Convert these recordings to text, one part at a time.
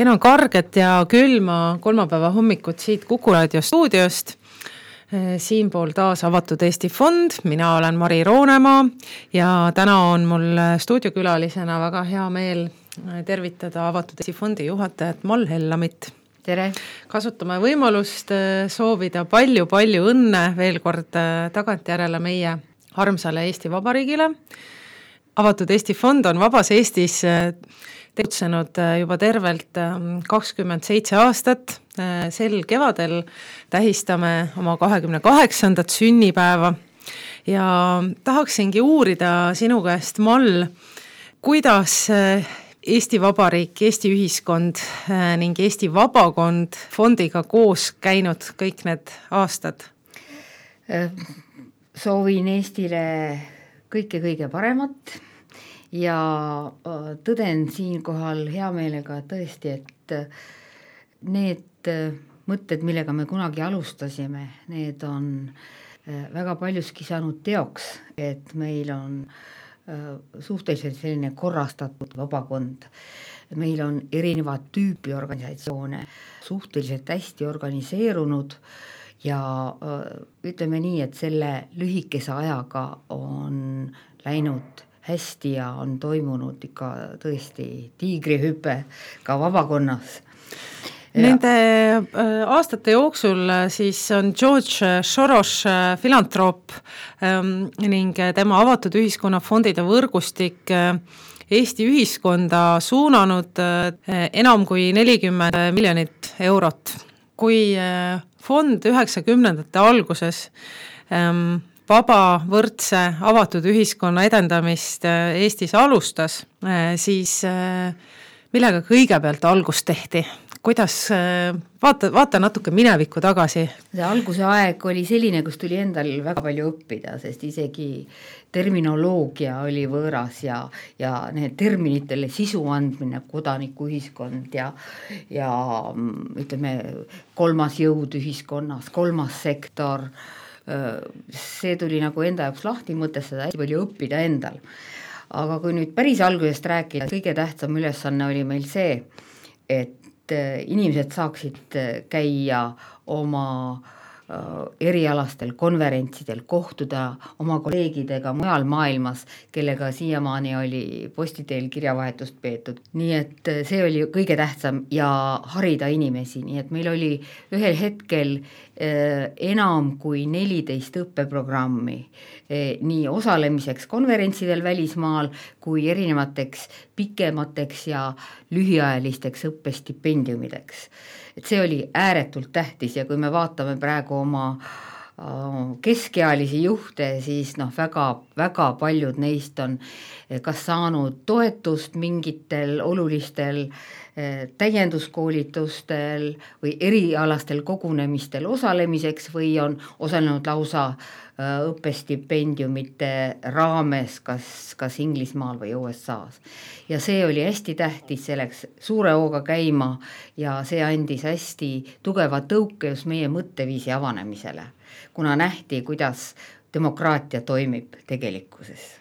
Kena karget ja külma kolmapäeva hommikut siit Kuku Raadio stuudiost. Siinpool taas Avatud Eesti Fond, mina olen Mari Roonemaa ja täna on mul stuudiokülalisena väga hea meel tervitada Avatud Eesti Fondi juhatajat Mall Hellamit. Tere! Kasutame võimalust soovida palju õnne veel kord tagantjärele meie armsale Eesti Vabariigile. Avatud Eesti Fond on Vabas Eestis tegutsenud juba tervelt 27 aastat. Sel kevadel tähistame oma 28. sünnipäeva ja tahaksingi uurida sinu käest, Mall, kuidas Eesti Vabariik, Eesti ühiskond ning Eesti Vabakond fondiga koos käinud kõik need aastad? Soovin Eestile kõige paremat ja tõden siinkohal hea meelega tõesti, et need mõtted, millega me kunagi alustasime, need on väga paljuski saanud teoks, et meil on suhteliselt selline korrastatud vabakond. Meil on erinevad tüüpi organisatsioone, suhteliselt hästi organiseerunud ja ütleme nii, et selle lühikese ajaga on läinud hästi ja on toimunud ikka tõesti tiigrihüpe ka vabakonnas. Nende aastate jooksul siis on George Soros filantroop ning tema Avatud Ühiskonna fondide võrgustik Eesti ühiskonda suunanud enam kui 40 miljonit eurot. Kui fond 90ndate alguses vaba, võrdse, avatud ühiskonna edendamist Eestis alustas, siis millega kõigepealt algust tehti? Kuidas, vaata natuke minevikku tagasi. See alguse aeg oli selline, kus tuli endal väga palju õppida, sest isegi terminoloogia oli võõras ja need terminitele sisu andmine, kodanikuühiskond ja ütleme, kolmas jõud ühiskonnas, kolmas sektor, see tuli nagu enda jaoks lahti mõtestada, hästi palju õppida endal. Aga kui nüüd päris algusest rääkida, kõige tähtsam ülesanne oli meil see, et inimesed saaksid käia oma erialastel konverentsidel, kohtuda oma kolleegidega mujal maailmas, kellega siiamaani oli postiteel kirjavahetust peetud. Nii et see oli kõige tähtsam ja harida inimesi, nii et meil oli ühel hetkel enam kui 14 õppeprogrammi nii osalemiseks konverentsidel välismaal kui erinevateks pikemateks ja lühiajalisteks õppestipendiumideks. Et see oli ääretult tähtis ja kui me vaatame praegu oma keskealisi juhte, siis väga paljud neist on kas saanud toetust mingitel olulistel täienduskoolitustel või erialastel kogunemistel osalemiseks või on osalenud lausa õppestipendiumite raames kas Inglismaal või USAs. Ja see oli hästi tähtis, see läks suure hooga käima ja see andis hästi tugeva tõuke just meie mõtteviisi avanemisele, kuna nähti, kuidas demokraatia toimib tegelikkuses.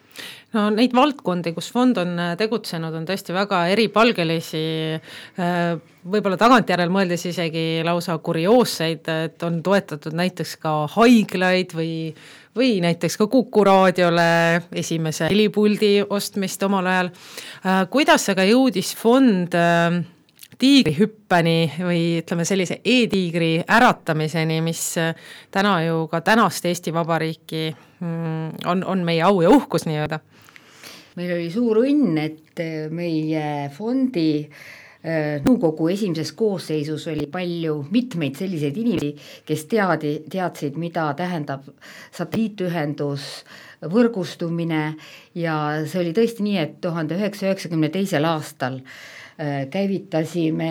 No neid valdkondi, kus fond on tegutsenud, on tõesti väga eripalgelisi, võib-olla tagantjärel mõeldes isegi lausa kurioosseid, et on toetatud näiteks ka haiglaid või näiteks ka Kuku Raadiole esimese helipuldi ostmist omal ajal. Kuidas aga jõudis fond tiigrihüppeni või ütleme sellise e-tiigri äratamiseni, mis täna ju ka tänast Eesti Vabariiki on meie au ja uhkus nii-öelda? Meil oli suur õnn, et meie fondi nõukogu esimeses koosseisus oli mitmeid selliseid inimesi, kes teadsid, mida tähendab satelliitühendus, võrgustumine ja see oli tõesti nii, et 1992. aastal käivitasime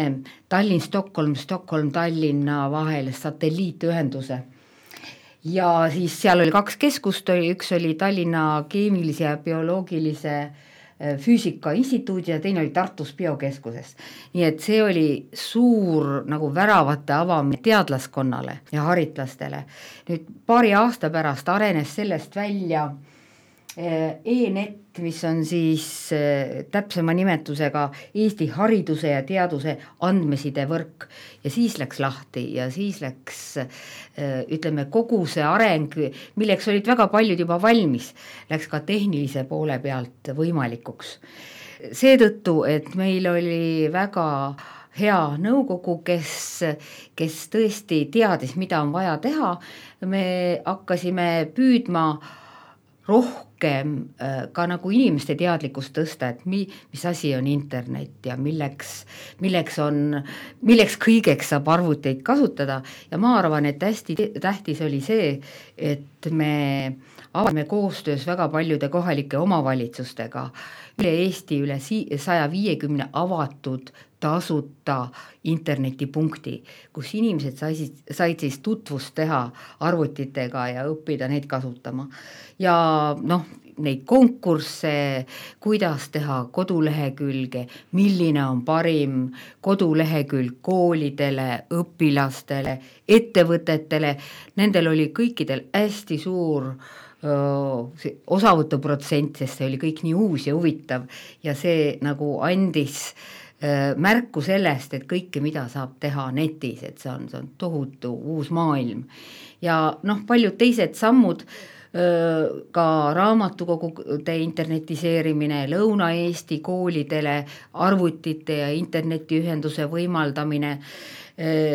Tallinn-Stockholm, Stockholm-Tallinna vahel satelliitühenduse. Ja siis seal oli 2 keskust, üks oli Tallinna keemilise ja bioloogilise füüsika instituudi ja teine oli Tartus biokeskuses. Nii et see oli suur nagu väravate avamine teadlaskonnale ja haritlastele. Nüüd paari aasta pärast arenes sellest välja E-net, mis on siis täpsema nimetusega Eesti hariduse ja teaduse andmesidevõrk ja siis läks lahti ja siis läks ütleme kogu see areng, milleks olid väga paljud juba valmis, läks ka tehnilise poole pealt võimalikuks. Seetõttu, et meil oli väga hea nõukogu, kes tõesti teadis, mida on vaja teha, me hakkasime püüdma rohkem ka nagu inimeste teadlikkust tõsta, et mis asi on internet ja milleks kõigeks saab arvuteid kasutada ja ma arvan, et hästi tähtis oli see, et me avame koostöös väga paljude kohalike omavalitsustega üle Eesti üle 150 avatud tasuta internetipunkti, kus inimesed said siis tutvust teha arvutitega ja õppida neid kasutama. Ja neid konkursse, kuidas teha kodulehekülge, milline on parim kodulehekülg koolidele, õpilastele, ettevõtetele, nendel oli kõikidel hästi suur osavõtuprotsent, sest see oli kõik nii uus ja huvitav ja see nagu andis märku sellest, et kõike, mida saab teha netis, et see on tohutu uus maailm. Ja paljud teised sammud, ka raamatukogude internetiseerimine, Lõuna-Eesti koolidele arvutite ja internetiühenduse võimaldamine,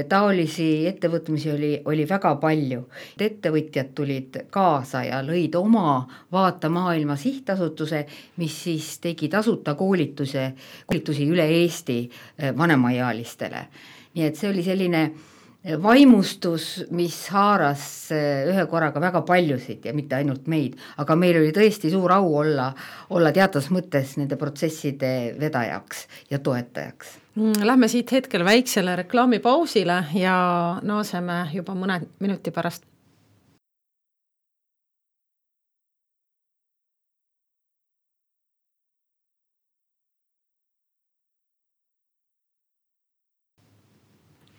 taolisi ettevõtmisi oli väga palju. Ettevõtjad tulid kaasa ja lõid oma Vaatamaailma sihtasutuse, mis siis tegi tasuta koolitusi üle Eesti vanemaealistele. Nii et see oli selline vaimustus, mis haaras ühe korraga väga paljusid ja mitte ainult meid, aga meil oli tõesti suur au olla teatas mõttes nende protsesside vedajaks ja toetajaks. Lähme siit hetkel väiksele reklaamipausile ja naaseme juba mõne minuti pärast.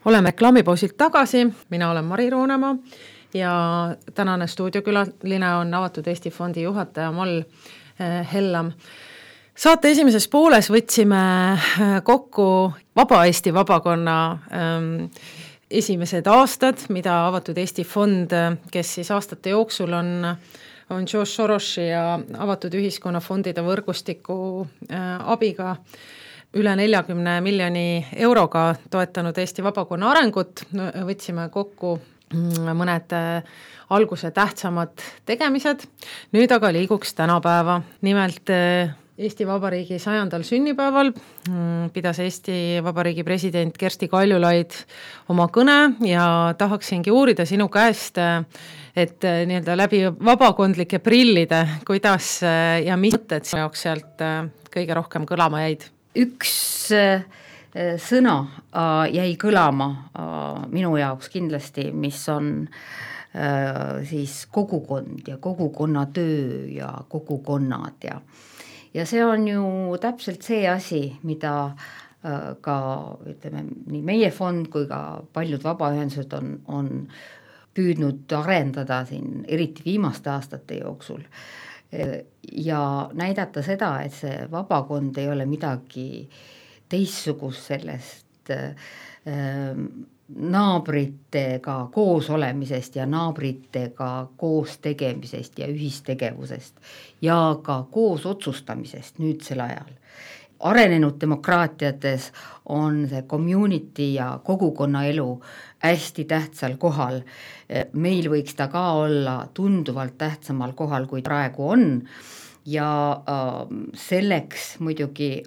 Oleme reklaamipausilt tagasi, mina olen Mari Roonemaa ja tänane stuudiokülaline on Avatud Eesti Fondi juhataja Mall Hellam. Saate esimeses pooles võtsime kokku Vaba Eesti vabakonna esimesed aastad, mida Avatud Eesti Fond, kes siis aastate jooksul on George Sorosi ja Avatud Ühiskonna fondide võrgustiku abiga üle 40 miljoni euroga toetanud Eesti vabakonna arengut, võtsime kokku mõned alguse tähtsamad tegemised. Nüüd aga liiguks tänapäeva. Nimelt Eesti Vabariigi 100. sünnipäeval pidas Eesti Vabariigi president Kersti Kaljulaid oma kõne ja tahaksingi uurida sinu käest, et nii-öelda läbi vabakondlike prillide, kuidas ja mis mõtted sinu jaoks sealt kõige rohkem kõlama jäid? Üks sõna jäi kõlama minu jaoks kindlasti, mis on siis kogukond ja kogukonna töö ja kogukonnad ja see on ju täpselt see asi, mida ka ütleme, nii meie fond kui ka paljud vabaühendused on püüdnud arendada siin eriti viimaste aastate jooksul ja näidata seda, et see vabakond ei ole midagi teistsugust sellest naabritega koos olemisest ja naabritega koos tegemisest ja ühistegevusest ja ka koos otsustamisest nüüdsel ajal. Arenenud demokraatiates on see community ja kogukonna elu hästi tähtsal kohal. Meil võiks ta ka olla tunduvalt tähtsamal kohal, kui praegu on. Ja selleks muidugi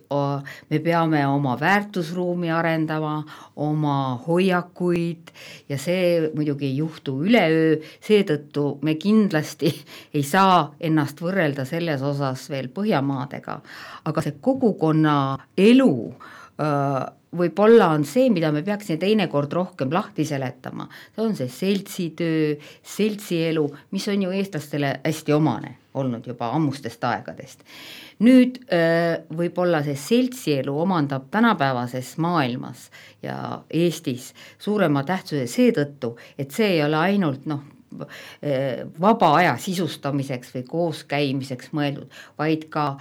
me peame oma väärtusruumi arendama, oma hoiakuid ja see muidugi ei juhtu üleöö, seetõttu me kindlasti ei saa ennast võrrelda selles osas veel Põhjamaadega, aga see kogukonna elu võib-olla on see, mida me peaksime teinekord rohkem lahti seletama. See on see seltsitöö, seltsielu, mis on ju eestlastele hästi omane olnud juba ammustest aegadest. Nüüd võib-olla see seltsielu omandab tänapäevases maailmas ja Eestis suurema tähtsuse seetõttu, et see ei ole ainult vaba aja sisustamiseks või kooskäimiseks mõeldud, vaid ka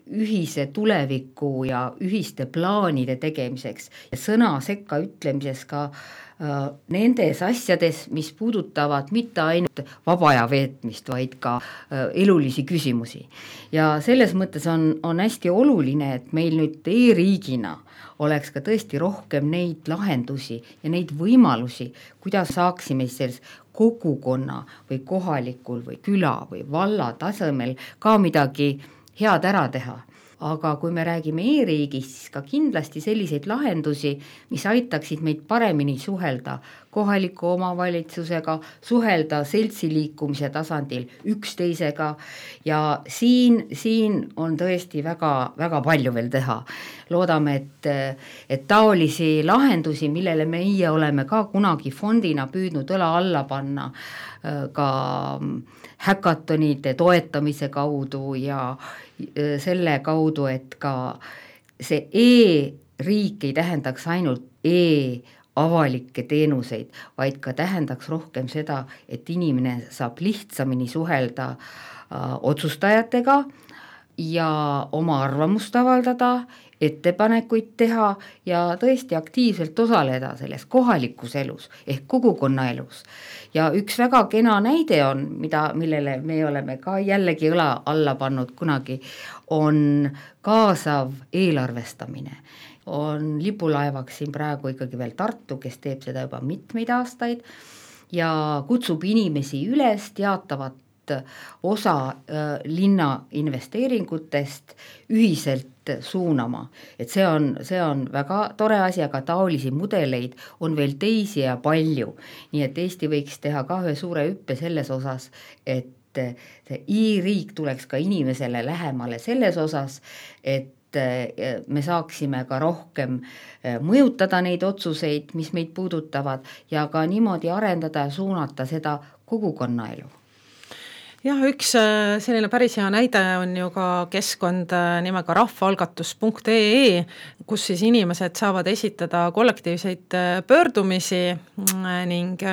ühise tuleviku ja ühiste plaanide tegemiseks ja sõna sekka ütlemises ka nendes asjades, mis puudutavad mitte ainult vaba aja veetmist, vaid ka elulisi küsimusi. Ja selles mõttes on hästi oluline, et meil nüüd e-riigina oleks ka tõesti rohkem neid lahendusi ja neid võimalusi, kuidas saaksime selles kogukonna või kohalikul või küla või valla tasemel ka midagi head ära teha. Aga kui me räägime e-riigist, siis ka kindlasti selliseid lahendusi, mis aitaksid meid paremini suhelda kohaliku omavalitsusega, suhelda seltsiliikumise tasandil üksteisega ja siin on tõesti väga, väga palju veel teha. Loodame, et taolisi lahendusi, millele meie oleme ka kunagi fondina püüdnud õla alla panna, ka häkatonide toetamise kaudu ja selle kaudu, et ka see e-riik ei tähendaks ainult avalikke teenuseid, vaid ka tähendaks rohkem seda, et inimene saab lihtsamini suhelda otsustajatega ja oma arvamust avaldada, ettepanekuid teha ja tõesti aktiivselt osaleda selles kohalikus elus ehk kogukonna elus. Ja üks väga kena näide on, millele me oleme ka jällegi õla alla pannud kunagi, on kaasav eelarvestamine. On lipulaevaks siin praegu ikkagi veel Tartu, kes teeb seda juba mitmeid aastaid ja kutsub inimesi üles teatavat osa linna investeeringutest ühiselt suunama. Et see on väga tore asi, aga taolisi mudeleid on veel teisi ja palju. Nii et Eesti võiks teha ka ühe suure hüppe selles osas, et see e-riik tuleks ka inimesele lähemale selles osas, et me saaksime ka rohkem mõjutada neid otsuseid, mis meid puudutavad ja ka niimoodi arendada ja suunata seda kogukonnaelu. Jah, üks selline päris hea näide on ju ka keskkond nimega rahvaalgatus.ee, kus siis inimesed saavad esitada kollektiivseid pöördumisi ning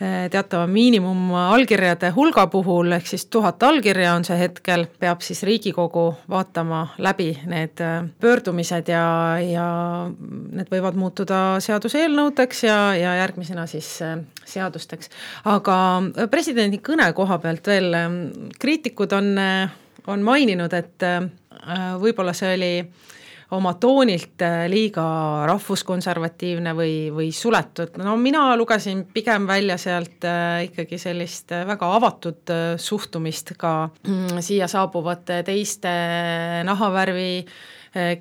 teatava miinimum allkirjade hulga puhul, ehk siis 1000 allkirja on see hetkel, peab siis Riigikogu vaatama läbi need pöördumised ja need võivad muutuda seaduseelnõudeks ja järgmisena siis seadusteks. Aga presidendi kõne koha pealt veel kriitikud on maininud, et võib-olla see oli oma toonilt liiga rahvuskonservatiivne või suletud. No mina lugesin pigem välja sealt ikkagi sellist väga avatud suhtumist ka siia saabuvate teiste nahavärvi,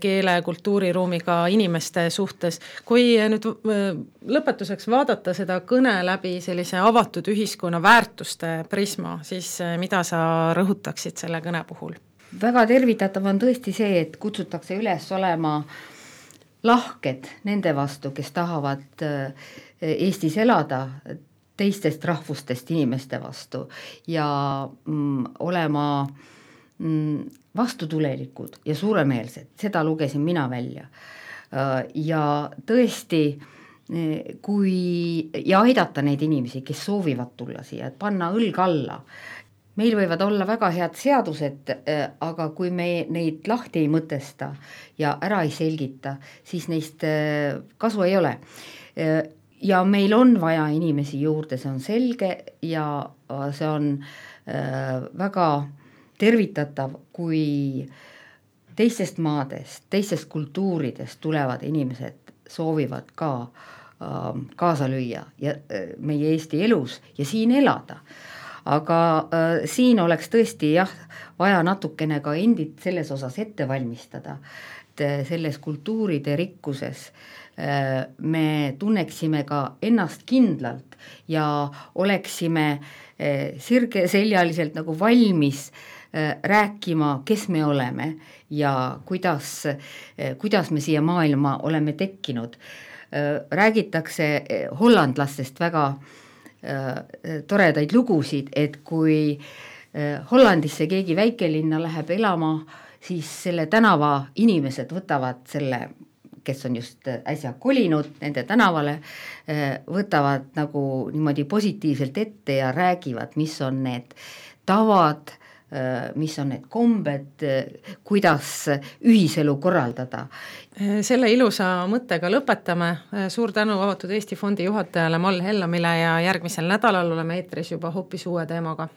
keele, kultuuriruumiga inimeste suhtes. Kui nüüd lõpetuseks vaadata seda kõne läbi sellise avatud ühiskonna väärtuste prisma, siis mida sa rõhutaksid selle kõne puhul? Väga tervitatav on tõesti see, et kutsutakse üles olema lahked nende vastu, kes tahavad Eestis elada, teistest rahvustest inimeste vastu ja olema vastutulelikud ja suuremeelsed, seda lugesin mina välja. Ja tõesti, ja aidata neid inimesi, kes soovivad tulla siia, et panna õlg alla. Meil võivad olla väga head seadused, aga kui me neid lahti ei mõtesta ja ära ei selgita, siis neist kasu ei ole. Ja meil on vaja inimesi juurde, see on selge ja see on väga tervitatav, kui teistest maadest, teistest kultuuridest tulevad inimesed soovivad ka kaasa lüüa ja meie Eesti elus ja siin elada. Aga siin oleks tõesti vaja natukene ka endid selles osas ette valmistada, et selles kultuuride rikkuses me tunneksime ka ennast kindlalt ja oleksime sirgeseljaliselt nagu valmis rääkima, kes me oleme ja kuidas me siia maailma oleme tekkinud. Räägitakse hollandlastest väga toredaid lugusid, et kui Hollandisse keegi väikelinna läheb elama, siis selle tänava inimesed võtavad selle kes on just äsja kolinud nende tänavale, võtavad nagu niimoodi positiivselt ette ja räägivad, mis on need tavad, mis on need kombed, kuidas ühiselu korraldada. Selle ilusa mõttega lõpetame. Suur tänu Avatud Eesti Fondi juhatajale Mall Hellamile ja järgmisel nädalal oleme eetris juba hoopis uue teemaga.